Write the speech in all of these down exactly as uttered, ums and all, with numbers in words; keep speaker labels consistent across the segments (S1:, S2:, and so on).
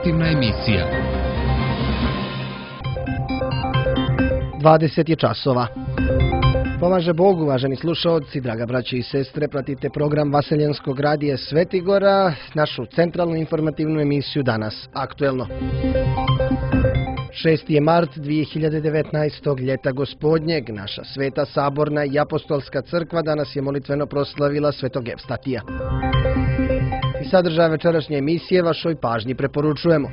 S1: informativna emisija.
S2: dvadeset je časova. Pomaže Bog, uvaženi slušaoci, draga braće i sestre, pratite program Vaseljenskog radija Svetigora, našu centralnu informativnu emisiju Danas aktuelno. šesti je mart dvije hiljade devetnaestog. ljeta gospodnjeg. Naša sveta saborna i apostolska crkva danas je molitveno proslavila Svetog Evstatija. I sadržaj večerašnje emisije vašoj pažnji preporučujemo.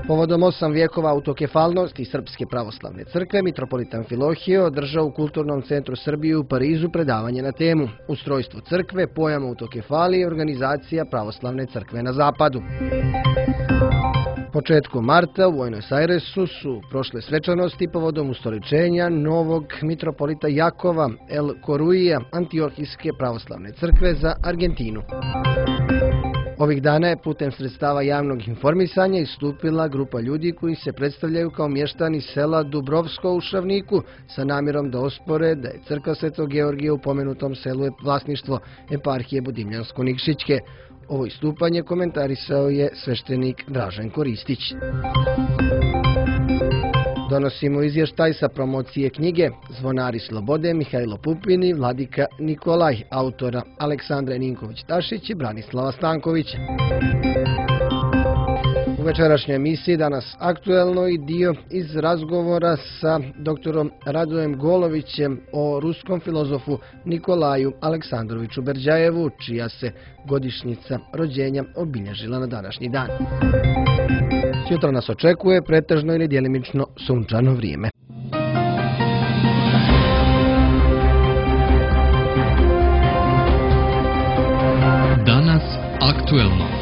S2: Povodom osam vijekova autokefalnosti Srpske pravoslavne crkve, mitropolit Amfilohije održao u Kulturnom centru Srbije u Parizu predavanje na temu Ustrojstvo crkve, pojam autokefalije i organizacija pravoslavne crkve na zapadu. Početkom marta u Buenos Airesu su prošle svečanosti povodom ustoličenja novog mitropolita Jakova El Coruija Antiohijske pravoslavne crkve za Argentinu. Ovih dana je putem sredstava javnog informisanja istupila grupa ljudi koji se predstavljaju kao mještani sela Dubrovsko u Šavniku sa namjerom da ospore da je crkva Svetog Georgija u pomenutom selu je vlasništvo eparhije Budimljansko-Nikšićke. Ovo istupanje komentarisao je sveštenik Draženko Ristić. Donosimo izvještaj sa promocije knjige Zvonari slobode Mihajlo Pupin i Vladika Nikolaj, autora Aleksandra Ninković-Tašić i Branislava Stankovića. U večerašnjoj emisiji danas aktuelno i dio iz razgovora sa doktorom Radojem Golovićem o ruskom filozofu Nikolaju Aleksandroviću Berdjajevu, čija se godišnjica rođenja obilježila na današnji dan. Sutra nas očekuje pretežno ili djelimično sunčano vrijeme.
S1: Danas aktuelno.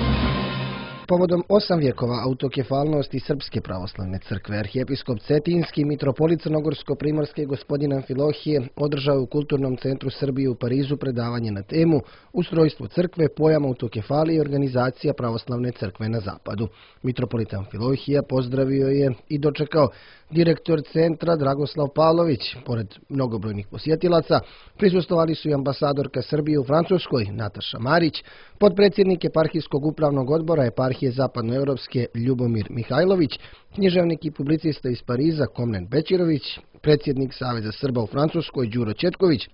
S2: Povodom osam vijekova autokefalnosti Srpske pravoslavne crkve, arhijepiskop Cetinski, mitropolit Crnogorsko-Primorske gospodin Amfilohije održao u Kulturnom centru Srbije u Parizu predavanje na temu Ustrojstvo crkve, pojam autokefalije i organizacija pravoslavne crkve na zapadu. Mitropolit Amfilohija pozdravio je i dočekao direktor centra Dragoslav Pavlović. Pored mnogobrojnih posjetilaca, prisustvovali su i ambasadorka Srbije u Francuskoj Nataša Marić, potpredsjednik eparhijskog upravnog odbora eparhije Zapadnoevropske Ljubomir Mihajlović, književnik i publicista iz Pariza Komnen Bečirović, predsjednik Saveza Srba u Francuskoj Đuro Četković,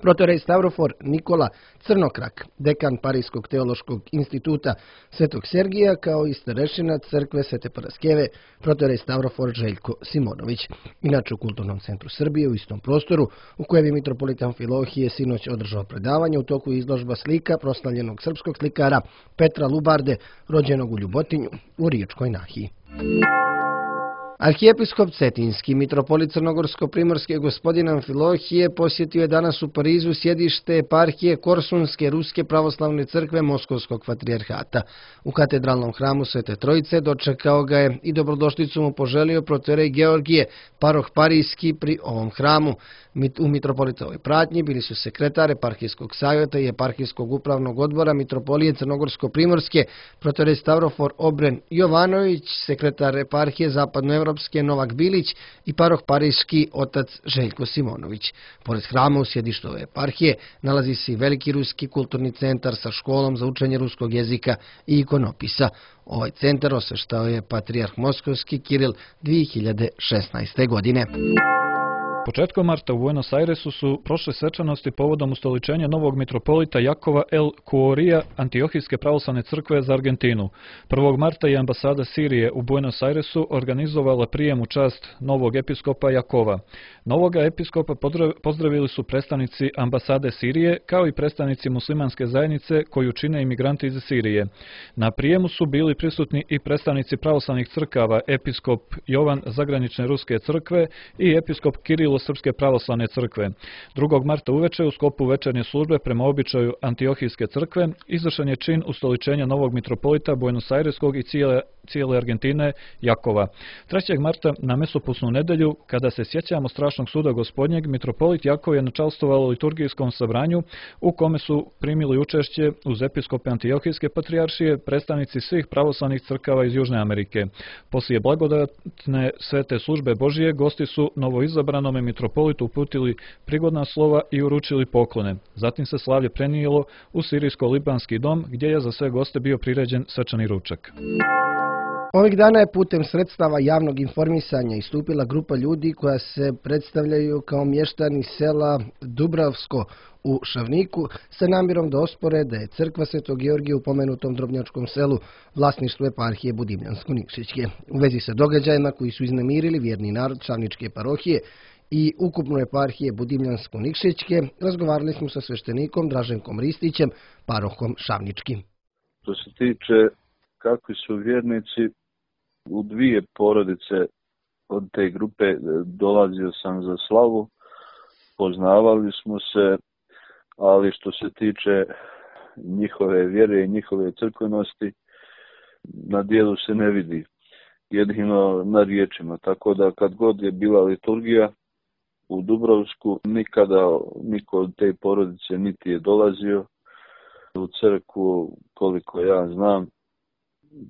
S2: protorej Stavrofor Nikola Crnokrak, dekan Parijskog teološkog instituta Svetog Sergija, kao i starešina crkve Svete Paraskeve, protorej Stavrofor Željko Simonović. Inače u Kulturnom centru Srbije u istom prostoru u kojem je mitropolit Amfilohije sinoć održao predavanje, u toku izložba slika proslavljenog srpskog slikara Petra Lubarde, rođenog u Ljubotinju u Riječkoj Nahiji. Arhijepiskop Cetinski, mitropolit Crnogorsko-Primorske gospodin Amfilohije posjetio je danas u Parizu sjedište eparhije Korsunske Ruske pravoslavne crkve Moskovskog patrijarhata. U katedralnom hramu Svete Trojice dočekao ga je i dobrodošlicu mu poželio protorej Georgije, paroh Parijski pri ovom hramu. U mitropolitovoj pratnji bili su sekretar eparhijskog savjeta i eparhijskog upravnog odbora mitropolije Crnogorsko-Primorske, protorej Stavrofor Obren Jovanović, sekretar eparhije Zapadnoevropske Novak Bilić i paroh Parijski otac Željko Simonović. Pored hrama u sjedištu ove eparhije nalazi se i veliki ruski kulturni centar sa školom za učenje ruskog jezika i ikonopisa. Ovaj centar osveštao je patrijarh Moskovski Kiril dvije hiljade šesnaeste. godine.
S3: Početkom marta u Buenos Airesu su prošle svečanosti povodom ustoličenja novog mitropolita Jakova El Coruija Antiohijske pravoslavne crkve za Argentinu. prvog marta je ambasada Sirije u Buenos Airesu organizovala prijem u čast novog episkopa Jakova. Novoga episkopa pozdravili su predstavnici ambasade Sirije kao i predstavnici muslimanske zajednice koju čine imigranti iz Sirije. Na prijemu su bili prisutni i predstavnici pravoslavnih crkava, episkop Jovan Zagranične Ruske crkve i episkop Kirilo Srpske pravoslavne crkve. drugog marta uveče u sklopu večernje službe prema običaju Antiohijske crkve izvršen je čin ustoličenja novog mitropolita Buenos Aireskog i cijele cijele Argentine, Jakova. trećeg marta na mesopusnu nedelju, kada se sjećamo strašnog suda gospodnjeg, mitropolit Jakov je načalstovao liturgijskom sabranju u kome su primili učešće uz episkope Antiohijske patrijaršije predstavnici svih pravoslavnih crkava iz Južne Amerike. Poslije blagodatne svete službe Božije, gosti su novoizabranome mitropolitu uputili prigodna slova i uručili poklone. Zatim se slavlje prenijelo u sirijsko-libanski dom, gdje je za sve goste bio priređen svečani ručak.
S2: Ovih dana je putem sredstava javnog informisanja istupila grupa ljudi koja se predstavljaju kao mještani sela Dubravsko u Šavniku sa namjerom da ospore da je crkva Svetog Georgija u pomenutom drobnjačkom selu vlasništvo eparhije Budimljansko-Nikšićke. U vezi sa događajima koji su iznemirili vjerni narod Šavničke parohije i ukupno eparhije Budimljansko-Nikšićke, razgovarali smo sa sveštenikom Draženkom Ristićem, parohom Šavničkim.
S4: Što se tiče kakvi su vjernici, u dvije porodice od te grupe dolazio sam za slavu, poznavali smo se, ali što se tiče njihove vjere i njihove crkvenosti, na dijelu se ne vidi, jedino na riječima. Tako da kad god je bila liturgija u Dubrovsku, nikada niko od te porodice niti je dolazio u crkvu, koliko ja znam,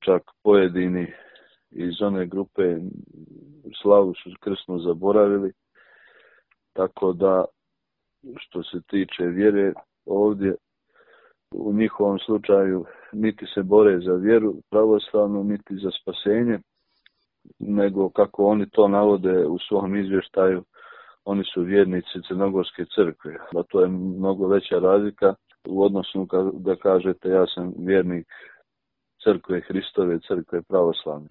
S4: čak pojedini iz one grupe slavu su krsno zaboravili, tako da što se tiče vjere ovdje, u njihovom slučaju niti se bore za vjeru pravoslavnu, niti za spasenje, nego kako oni to navode u svom izvještaju, oni su vjernici Crnogorske crkve, a to je mnogo veća razlika u odnosu da kažete ja sam vjernik crkve Hristove, crkve pravoslavne.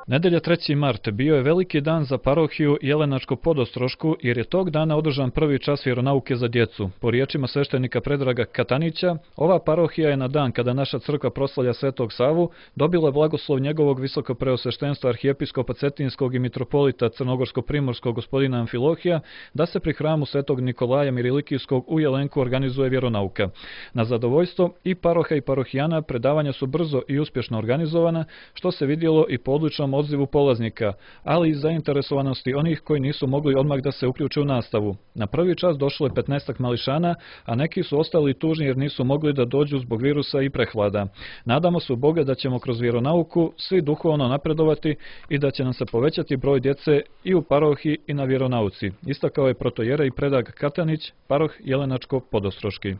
S3: Nedelja treći mart bio je veliki dan za parohiju Jelenačko-Podostrošku jer je tog dana održan prvi čas vjeronauke za djecu. Po riječima sveštenika Predraga Katanića, ova parohija je na dan kada naša crkva proslavlja Svetog Savu dobila blagoslov njegovog visokopreosveštenstva arhijepiskopa Cetinskog i mitropolita Crnogorsko-Primorskog gospodina Amfilohija da se pri hramu Svetog Nikolaja Mirilikijskog u Jelenku organizuje vjeronauka. Na zadovoljstvo i paroha i parohijana predavanja su brzo i uspješno organizovana, što se vidjelo i po odličnom odzivu polaznika, ali i zainteresovanosti onih koji nisu mogli odmah da se uključe u nastavu. Na prvi čas došlo je petnaestak mališana, a neki su ostali tužni jer nisu mogli da dođu zbog virusa i prehlada. Nadamo se u Boga da ćemo kroz vjeronauku svi duhovno napredovati i da će nam se povećati broj djece i u parohiji i na vjeronauci, istakao je protojerej Predrag Katanić, paroh Jelenačko-Podostroški.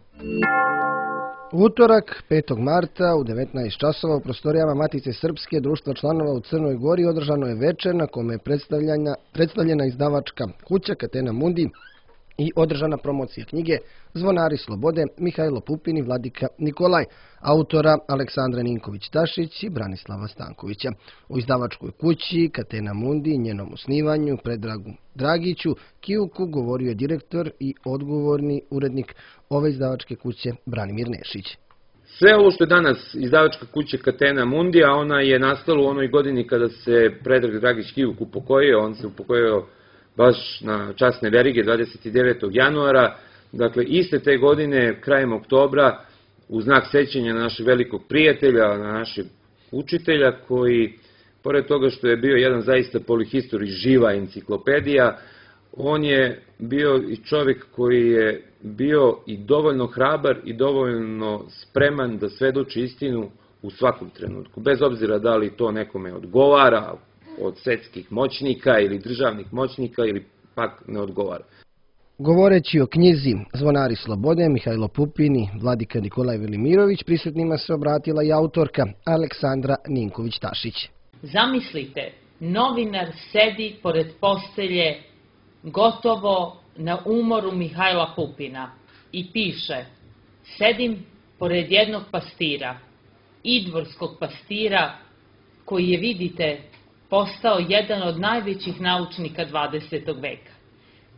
S2: U utorak, petog marta, u devetnaest časova u prostorijama Matice Srpske društva članova u Crnoj Gori održano je večer na kome je predstavljena izdavačka kuća Catena Mundi i održana promocija knjige Zvonari slobode Mihajlo Pupin i Vladika Nikolaj, autora Aleksandra Ninković-Tašić i Branislava Stankovića. U izdavačkoj kući Catena Mundi i njenom osnivanju Predragu Dragiću Kijuku govorio je direktor i odgovorni urednik ove izdavačke kuće Branimir Nešić.
S5: Sve ovo što je danas izdavačka kuća Catena Mundi, a ona je nastala u onoj godini kada se Predrag Dragić Kijuk upokojio, on se upokojio baš na časne verige dvadeset devetog januara, dakle iste te godine, krajem oktobra, u znak sećanja na našeg velikog prijatelja, na našeg učitelja, koji, pored toga što je bio jedan zaista polihistor i živa enciklopedija, on je bio i čovjek koji je bio i dovoljno hrabar i dovoljno spreman da svedoči istinu u svakom trenutku, bez obzira da li to nekome odgovara, od svetskih moćnika ili državnih moćnika ili pak ne odgovara.
S2: Govoreći o knjizi Zvonari slobode Mihajlo Pupin i Vladika Nikolaj Velimirović, prisutnima se obratila i autorka Aleksandra Ninković-Tašić.
S6: Zamislite, novinar sedi pored postelje gotovo na umoru Mihajla Pupina i piše: sedim pored jednog pastira, idvorskog pastira koji je, vidite, postao jedan od najvećih naučnika dvadesetog veka.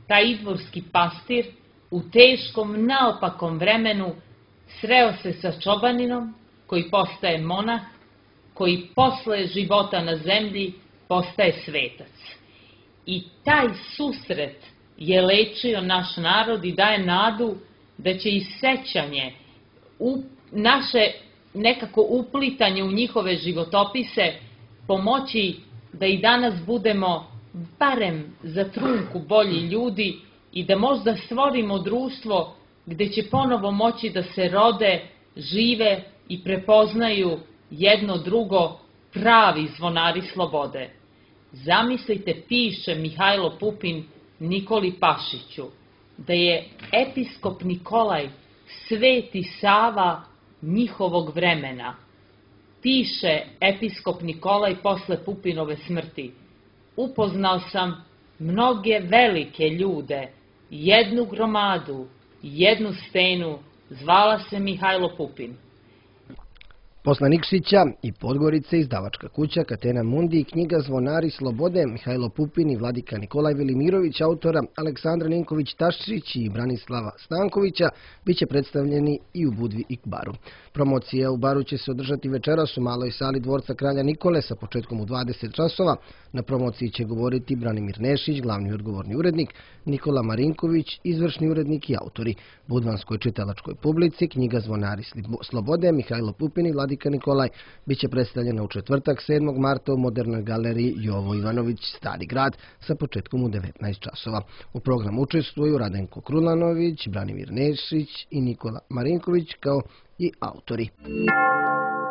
S6: Taj idvorski pastir u teškom, naopakom vremenu sreo se sa čobaninom koji postaje monah, koji posle života na zemlji postaje svetac. I taj susret je lečio naš narod i daje nadu da će i sećanje u naše nekako uplitanje u njihove životopise pomoći da i danas budemo barem za trunku bolji ljudi i da možda stvorimo društvo gde će ponovo moći da se rode, žive i prepoznaju jedno drugo pravi zvonari slobode. Zamislite, piše Mihajlo Pupin Nikoli Pašiću, da je episkop Nikolaj Sveti Sava njihovog vremena. Piše episkop Nikolaj posle Pupinove smrti: upoznao sam mnoge velike ljude, jednu gromadu, jednu stenu, zvala se Mihajlo Pupin.
S2: Posle Nikšića i Podgorice, izdavačka kuća Catena Mundi i knjiga Zvonari slobode Mihajlo Pupin i vladika Nikolaj Velimirović, autora Aleksandra Ninković-Taščić i Branislava Stankovića, bit će predstavljeni i u Budvi i Baru. Promocija u Baru će se održati večeras u maloj sali dvorca Kralja Nikole sa početkom u dvadeset časova. Na promociji će govoriti Branimir Nešić, glavni i odgovorni urednik, Nikola Marinković, izvršni urednik i autori. Budvanskoj čitalačkoj publici knjiga Zvonari slobode Mihajlo Pupin i vladika Nikolaj bit će predstavljena u četvrtak sedmog marta u Modernoj galeriji Jovo Ivanović, Stari grad, sa početkom u devetnaest časova. U programu učestvuju Radenko Krulanović, Branimir Nešić i Nikola Marinković kao i autori.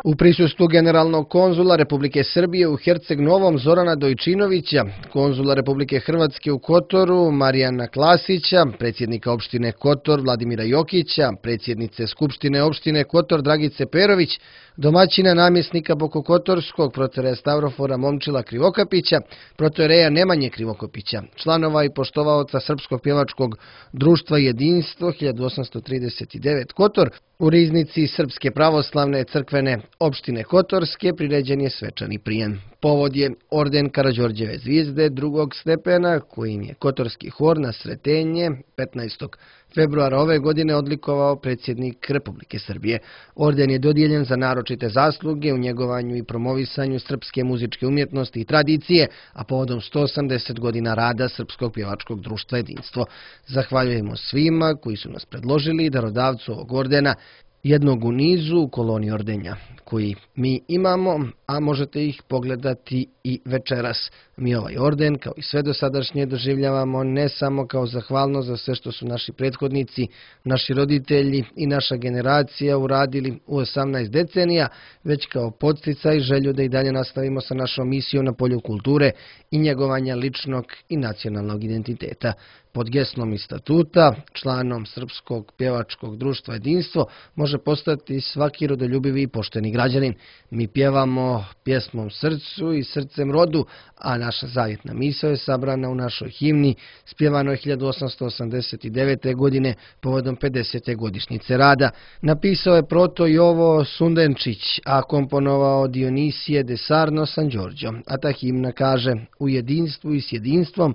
S2: U prisustvu generalnog konzula Republike Srbije u Herceg Novom Zorana Dojčinovića, konzula Republike Hrvatske u Kotoru Marijana Klasića, predsjednika opštine Kotor Vladimira Jokića, predsjednice Skupštine opštine Kotor Dragice Perović, domaćina namjesnika Bokokotorskog protoreja Stavrofora Momčila Krivokapića, protoreja Nemanje Krivokapića, članova i poštovaoca Srpskog pjevačkog društva Jedinstvo hiljadu osamsto trideset devet Kotor, u riznici Srpske pravoslavne crkvene opštine Kotorske priređen je svečani prijem. Povod je orden Karađorđeve zvijezde drugog stepena, kojim je Kotorski hor na Sretenje petnaestog februara ove godine odlikovao predsjednik Republike Srbije. Orden je dodijeljen za naročite zasluge u njegovanju i promovisanju srpske muzičke umjetnosti i tradicije, a povodom sto osamdeset godina rada Srpskog pjevačkog društva Jedinstvo. Zahvaljujemo svima koji su nas predložili darodavcu ovog ordena, jednog u nizu u koloni ordenja koji mi imamo, a možete ih pogledati i večeras. Mi ovaj orden, kao i sve dosadašnje, doživljavamo ne samo kao zahvalnost za sve što su naši prethodnici, naši roditelji i naša generacija uradili u osamnaest decenija, već kao podsticaj i želju da i dalje nastavimo sa našom misijom na polju kulture i njegovanja ličnog i nacionalnog identiteta. Pod geslom i statuta, članom Srpskog pjevačkog društva Jedinstvo može postati svaki rodoljubivi i pošteni građanin. Mi pjevamo pjesmom srcu i srcem rodu, a naša zavjetna misao je sabrana u našoj himni, spjevanoj hiljadu osamsto osamdeset devete. godine povodom pedesete godišnjice rada. Napisao je proto Jovo Sundenčić, a komponovao Dionisije de Sarno Sanđorđo. A ta himna kaže: u jedinstvu i s jedinstvom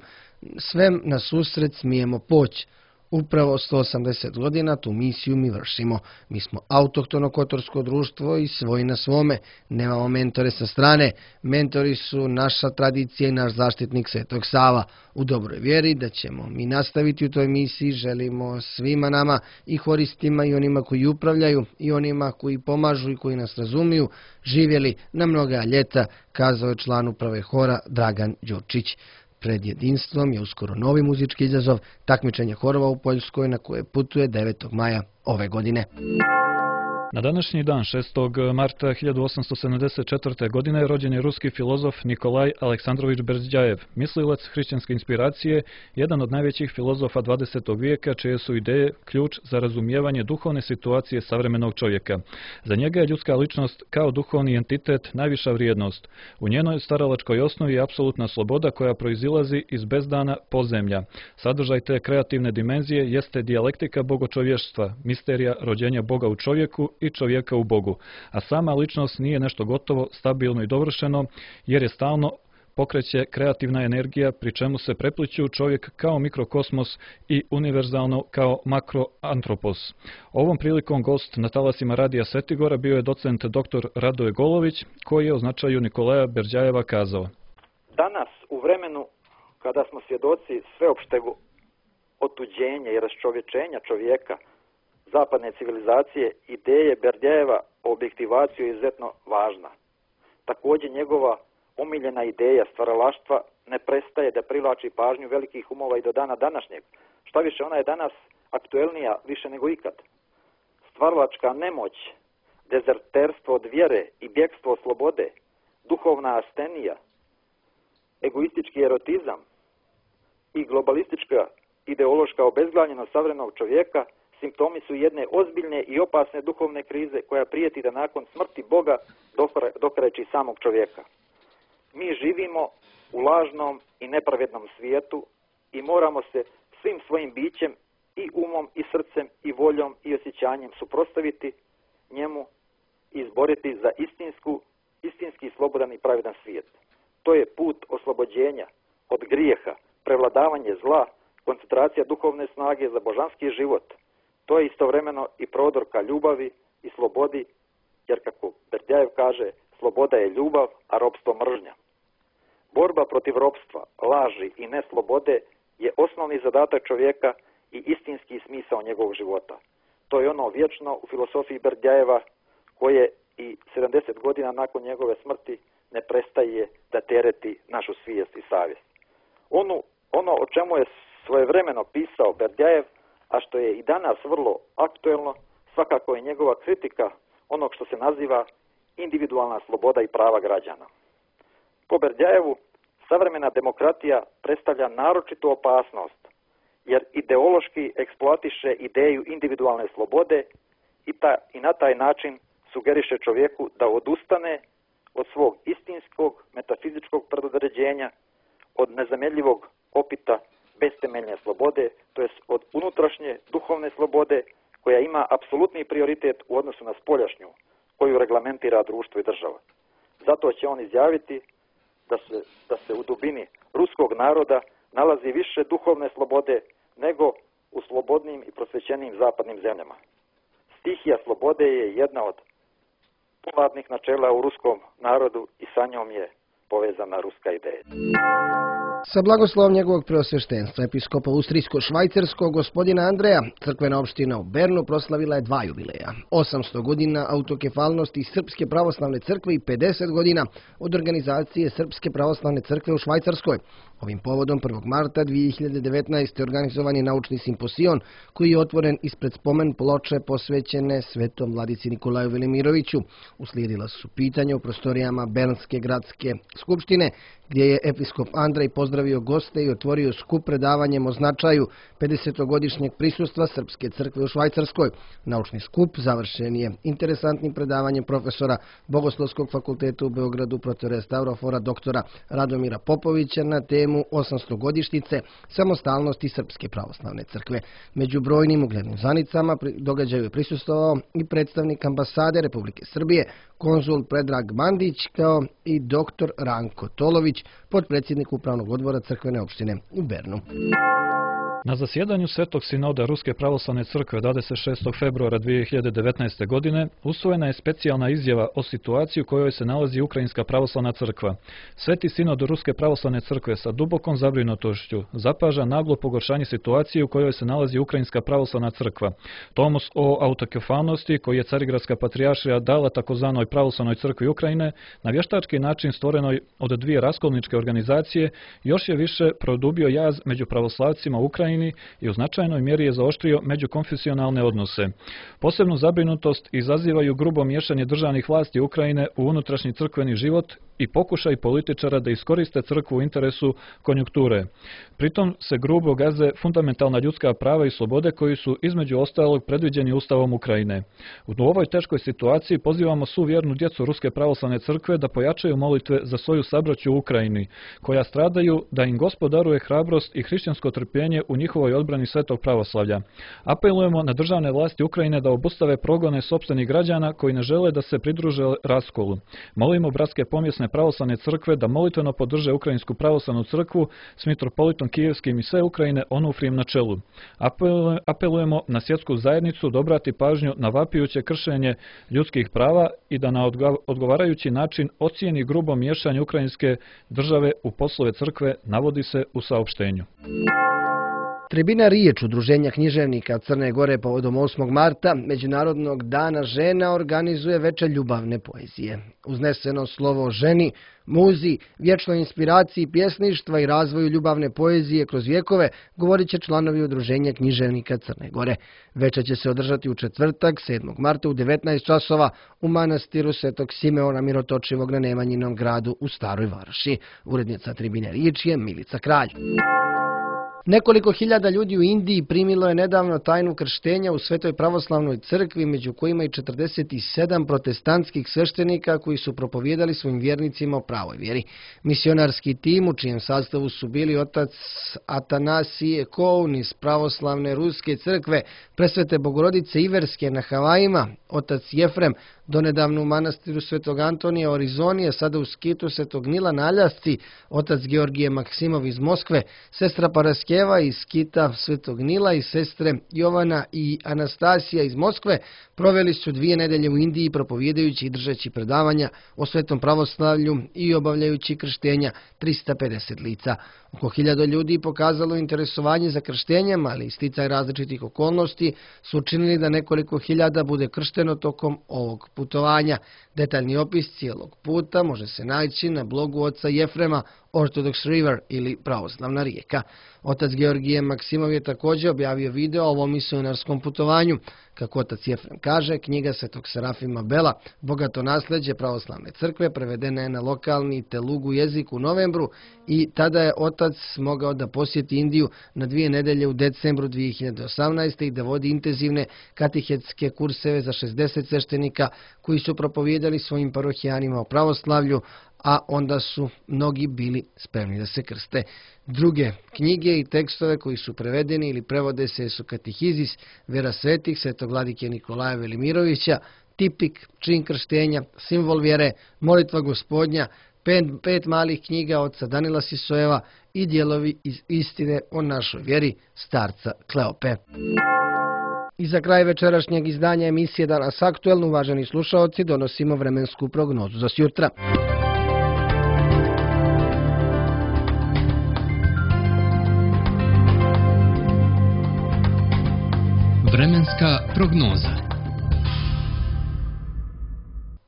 S2: svem na susret smijemo poći. Upravo sto osamdeset godina tu misiju mi vršimo. Mi smo autohtono kotorsko društvo i svoji na svome. Nemamo mentore sa strane. Mentori su naša tradicija i naš zaštitnik Svetog Sava. U dobroj vjeri da ćemo mi nastaviti u toj misiji, želimo svima nama, i horistima i onima koji upravljaju i onima koji pomažu i koji nas razumiju, živjeli na mnoga ljeta, kazao je član uprave hora Dragan Đurčić. Pred Jedinstvom je uskoro novi muzički izazov, takmičenje horova u Poljskoj, na koje putuje devetog maja ove godine.
S3: Na današnji dan, šestog marta hiljadu osamsto sedamdeset četvrte. godine, rođen je ruski filozof Nikolaj Aleksandrović Berđajev, mislilac hrišćanske inspiracije, jedan od najvećih filozofa dvadesetog vijeka, čije su ideje ključ za razumijevanje duhovne situacije savremenog čovjeka. Za njega je ljudska ličnost kao duhovni entitet najviša vrijednost. U njenoj staralačkoj osnovi je apsolutna sloboda koja proizilazi iz bezdana podzemlja. Sadržaj te kreativne dimenzije jeste dijalektika bogočovještva, misterija rođenja Boga u čovjeku i čovjeka u Bogu, a sama ličnost nije nešto gotovo, stabilno i dovršeno, jer je stalno pokreće kreativna energija, pri čemu se prepliću čovjek kao mikrokosmos i univerzalno kao makroantropos. Ovom prilikom gost na talasima Radija Svetigora bio je docent doktor Radoje Golović, koji je o značaju Nikolaja Berđajeva kazao:
S7: danas, u vremenu kada smo svjedoci sveopšteg otuđenja i raščovječenja čovjeka, zapadne civilizacije, ideje Berđajeva objektivaciju je izuzetno važna. Također njegova omiljena ideja stvaralaštva ne prestaje da privlači pažnju velikih umova i do dana današnjeg. Šta više, ona je danas aktuelnija više nego ikad. Stvaralačka nemoć, dezerterstvo od vjere i bjegstvo od slobode, duhovna astenija, egoistički erotizam i globalistička ideološka obezglavljenost savremenog čovjeka simptomi su jedne ozbiljne i opasne duhovne krize koja prijeti da nakon smrti Boga dokreći samog čovjeka. Mi živimo u lažnom i nepravednom svijetu i moramo se svim svojim bićem i umom i srcem i voljom i osjećanjem suprotstaviti njemu i izboriti za istinsku, istinski slobodan i pravedan svijet. To je put oslobođenja od grijeha, prevladavanje zla, koncentracija duhovne snage za božanski život. To je istovremeno i prodor ka ljubavi i slobodi, jer kako Berdjajev kaže, sloboda je ljubav, a ropstvo mržnja. Borba protiv ropstva, laži i neslobode je osnovni zadatak čovjeka i istinski smisao njegovog života. To je ono vječno u filosofiji Berdjajeva koje i sedamdeset godina nakon njegove smrti ne prestaje da tereti našu svijest i savjest. Ono, ono o čemu je svojevremeno pisao Berdjajev, a što je i danas vrlo aktuelno, svakako je njegova kritika onog što se naziva individualna sloboda i prava građana. Po Berdjajevu, savremena demokratija predstavlja naročitu opasnost, jer ideološki eksploatiše ideju individualne slobode i, ta, i na taj način sugeriše čovjeku da odustane od svog istinskog metafizičkog predodređenja, od nezamjenjivog opita beztemeljne slobode, to jest od unutrašnje duhovne slobode koja ima apsolutni prioritet u odnosu na spoljašnju, koju reglamentira društvo i država. Zato će on izjaviti da se, da se u dubini ruskog naroda nalazi više duhovne slobode nego u slobodnim i prosvećenim zapadnim zemljama. Stihija slobode je jedna od povladnih načela u ruskom narodu i sa njom je povezana ruska ideja.
S2: Sa blagoslovom njegovog preosveštenstva, episkopa Austrijsko-švajcarskog gospodina Andreja, crkvena opština u Bernu proslavila je dva jubileja. osamsto godina autokefalnosti Srpske pravoslavne crkve i pedeset godina od organizacije Srpske pravoslavne crkve u Švajcarskoj. Ovim povodom prvog marta dvije hiljade devetnaeste. organizovan je naučni simposion koji je otvoren ispred spomen ploče posvećene svetom vladici Nikolaju Velimiroviću. Uslijedila su pitanja u prostorijama Bernske gradske skupštine, gdje je episkop Andrej pozdravio goste i otvorio skup predavanjem o značaju pedesetogodišnjeg prisustva Srpske crkve u Švajcarskoj. Naučni skup završen je interesantnim predavanjem profesora Bogoslovskog fakulteta u Beogradu, protere Stavrofora doktora Radomira Popovića na temu osamstogodišnjice samostalnosti Srpske pravoslavne crkve. Među brojnim uglednim zvanicama događaju je prisustvovao i predstavnik ambasade Republike Srbije, konzul Predrag Mandić, kao i doktor Ranko Tolović, potpredsjednik upravnog odbora crkvene opštine u Bernu.
S3: Na zasjedanju Svetog sinoda Ruske pravoslavne crkve dvadeset šestog februara dvije hiljade devetnaeste. godine usvojena je specijalna izjava o situaciji u kojoj se nalazi Ukrajinska pravoslavna crkva. Sveti sinod Ruske pravoslavne crkve sa dubokom zabrinutošću zapaža naglo pogoršanje situacije u kojoj se nalazi Ukrajinska pravoslavna crkva. Tomos o autokefalnosti koji je Carigradska patrijaršija dala takozvanoj pravoslavnoj crkvi Ukrajine na vještački način stvorenoj od dvije raskolničke organizacije još je više produbio jaz među pravoslavcima u Ukrajini i u značajnoj mjeri je zaoštrio međukonfesionalne odnose. Posebnu zabrinutost izazivaju grubo miješanje državnih vlasti Ukrajine u unutrašnji crkveni život i pokušaj političara da iskoriste crkvu u interesu konjunkture. Pritom se grubo gaze fundamentalna ljudska prava i slobode koji su između ostalog predviđeni Ustavom Ukrajine. U ovoj teškoj situaciji pozivamo svu vjernu djecu Ruske pravoslavne crkve da pojačaju molitve za svoju sabraću u Ukrajini, koja stradaju, da im Gospod daruje hrabrost i hrišćansko trpljenje u njihovoj odbrani svetog pravoslavlja. Apelujemo na državne vlasti Ukrajine da obustave progone sopstvenih građana koji ne žele da se pridruže raskolu. Molimo bratske pomjesne pravoslavne crkve da molitveno podrže Ukrajinsku pravoslavnu crkvu s mitropolitom Kijevskim i sve Ukrajine Onufrijem na čelu. Apelujemo na svjetsku zajednicu da obrati pažnju na vapijuće kršenje ljudskih prava i da na odgovarajući način ocijeni grubo miješanje ukrajinske države u poslove crkve, navodi se u saopštenju.
S2: Tribina Riječ Udruženja književnika Crne Gore povodom osmog marta, Međunarodnog dana žena, organizuje večer ljubavne poezije. Uzneseno slovo o ženi, muzi, vječnoj inspiraciji pjesništva i razvoju ljubavne poezije kroz vjekove govorit će članovi Udruženja književnika Crne Gore. Večer će se održati u četvrtak, sedmog marta u devetnaest časova u manastiru Svetog Simeona Mirotočivog na Nemanjinom gradu u Staroj Varoši. Urednica Tribine Riječ je Milica Kralj. Nekoliko hiljada ljudi u Indiji primilo je nedavno tajnu krštenja u Svetoj pravoslavnoj crkvi, među kojima i četrdeset sedam protestantskih sveštenika koji su propovijedali svojim vjernicima o pravoj vjeri. Misionarski tim, u čijem sastavu su bili otac Atanasije Koun iz pravoslavne ruske crkve, Presvete Bogorodice Iverske na Havajima, otac Jefrem, donedavno u manastiru Svetog Antonija u Arizoni, a sada u skitu Svetog Nila na Aljasci, otac Georgije Maksimov iz Moskve, sestra Paraskeva iz skita Svetog Nila i sestre Jovana i Anastasija iz Moskve proveli su dvije nedelje u Indiji propovijedajući i držeći predavanja o svetom pravoslavlju i obavljajući krštenja trista pedeset lica. Oko hiljadu ljudi pokazalo interesovanje za krštenjem, ali i sticaj različitih okolnosti su učinili da nekoliko hiljada bude kršteno tokom ovog putovanja. Detaljni opis cijelog puta može se naći na blogu oca Jefrema Orthodox River ili Pravoslavna rijeka. Otac Georgije Maksimov je također objavio video o ovom misionarskom putovanju. Kako otac Jefrem kaže, knjiga Svetog Serafima Bela, Bogato nasljeđe pravoslavne crkve, prevedena je na lokalni telugu jezik u novembru i tada je otac mogao da posjeti Indiju na dvije nedelje u decembru dvije hiljade osamnaeste. i da vodi intenzivne katehetske kurseve za šezdeset sveštenika koji su propovijedali svojim parohijanima o pravoslavlju, a onda su mnogi bili spremni da se krste. Druge knjige i tekstove koji su prevedeni ili prevode se su Katehizis, Vera svetih, Svetog vladike Nikolaja Velimirovića, Tipik, Čin krštenja, Simbol vjere, Molitva gospodnja, pet, pet malih knjiga oca Danila Sisojeva i dijelovi iz istine o našoj vjeri starca Kleope. I za kraj večerašnjeg izdanja emisije Danas aktuelno, uvaženi slušaoci, donosimo vremensku prognozu za sjutra.
S1: Vremenska prognoza.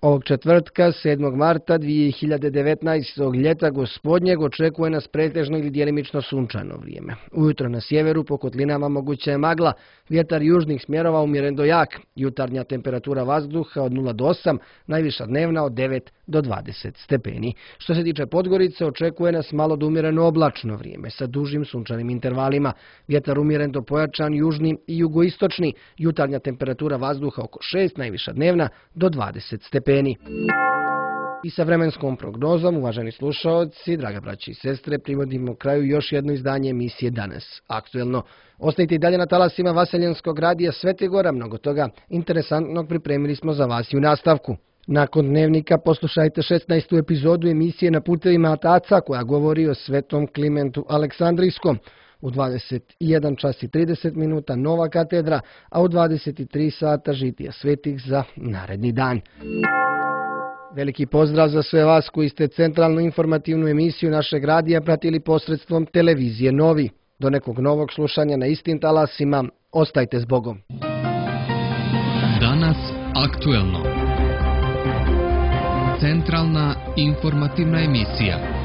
S2: Ovog četvrtka, sedmog marta dvije hiljade devetnaestog. ljeta gospodnjeg očekuje nas pretežno ili djelimično sunčano vrijeme. Ujutro na sjeveru po kotlinama moguća je magla, vjetar južnih smjerova umjeren do jak, jutarnja temperatura vazduha od nula do osam, najviša dnevna od devet do dvadeset stepeni. Što se tiče Podgorice, očekuje nas malo do umjereno oblačno vrijeme sa dužim sunčanim intervalima, vjetar umjeren do pojačan južni i jugoistočni, jutarnja temperatura vazduha oko šest, najviša dnevna do dvadeset stepeni. I sa vremenskom prognozom, uvaženi slušaoci, draga braći i sestre, privodimo kraju još jedno izdanje emisije Danas aktuelno. Ostajte i dalje na talasima Vaseljenskog radija Svete Gora, mnogo toga interesantnog pripremili smo za vas i u nastavku. Nakon dnevnika poslušajte šesnaestu epizodu emisije Na putevima Ataca koja govori o svetom Klimentu Aleksandrijskom. U dvadeset jedan čas i trideset minuta Nova katedra, a u dvadeset tri sata žitija svetih za naredni dan. Veliki pozdrav za sve vas koji ste centralnu informativnu emisiju našeg radija pratili posredstvom televizije Novi. Do nekog novog slušanja na istim talasima, ostajte s Bogom.
S1: Danas aktuelno. Centralna informativna emisija.